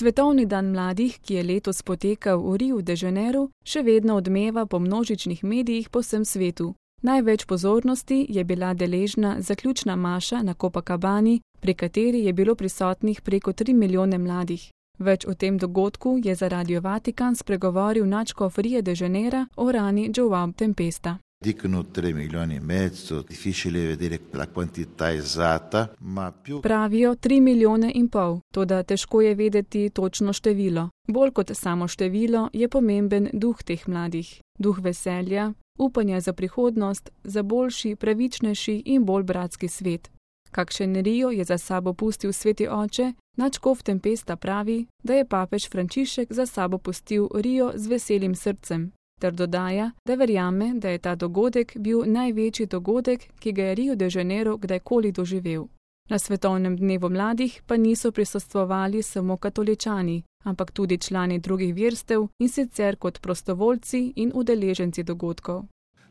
Svetovni dan mladih, ki je letos potekal v Riu de Janeiro, še vedno odmeva po množičnih medijih po vsem svetu. Največ pozornosti je bila deležna zaključna maša na Copacabani, pri kateri je bilo prisotnih preko 3 milijone mladih. Več o tem dogodku je za Radio Vatikan spregovoril nadškof Ria de Janeira Orani João Tempesta. Dicono 3 milioni e mezzo, difficile vedere la quantità esatta, ma più... Pravijo 3,5 milijone, toda težko je vedeti točno število. Bolj kot samo število je pomemben duh teh mladih. Duh veselja, upanja za prihodnost, za boljši, pravičnejši in bolj bratski svet. Kakšen Rio je za sabo pustil sveti oče, nadškof Tempesta pravi, da je papež Frančišek za sabo pustil Rio z veselim srcem, ter dodaja, da verjame, da je ta dogodek bil največji dogodek, ki ga je Rio de Janeiro kdajkoli doživel. Na svetovnem dnevu mladih pa niso prisostvovali samo katoličani, ampak tudi člani drugih verstev in sicer kot prostovoljci in udeleženci dogodkov.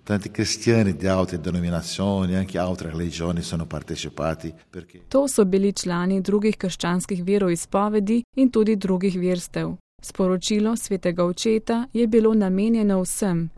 Tanti cristiani di altre denominazioni, anche altre religioni sono partecipati perché... To so bili člani drugih krščanskih veroizpovedi in tudi drugih verstev. Sporočilo svetega očeta je bilo namenjeno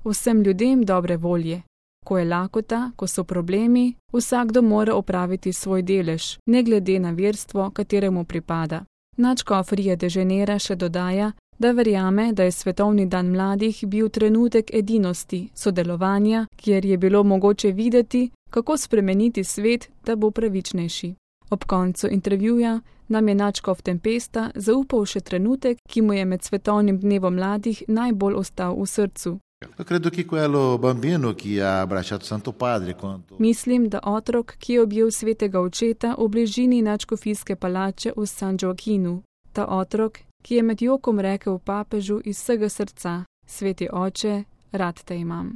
vsem ljudem dobre volje. Ko je lakota, ko so problemi, vsakdo mora opraviti svoj delež, ne glede na verstvo, kateremu pripada. Nadškof Ria de Janeira še dodaja, da verjame, da je svetovni dan mladih bil trenutek edinosti, sodelovanja, kjer je bilo mogoče videti, kako spremeniti svet, da bo pravičnejši. Ob koncu intervjuja nam je nadškof Tempesta zaupal še trenutek, ki mu je med svetovnim dnevom mladih najbolj ostal v srcu. Mislim, da otrok, ki je objel svetega očeta v bližini nadškofijske palače v San Joaquinu. Ta otrok, ki je med jokom rekel papežu iz vsega srca: Sveti oče, rad te imam.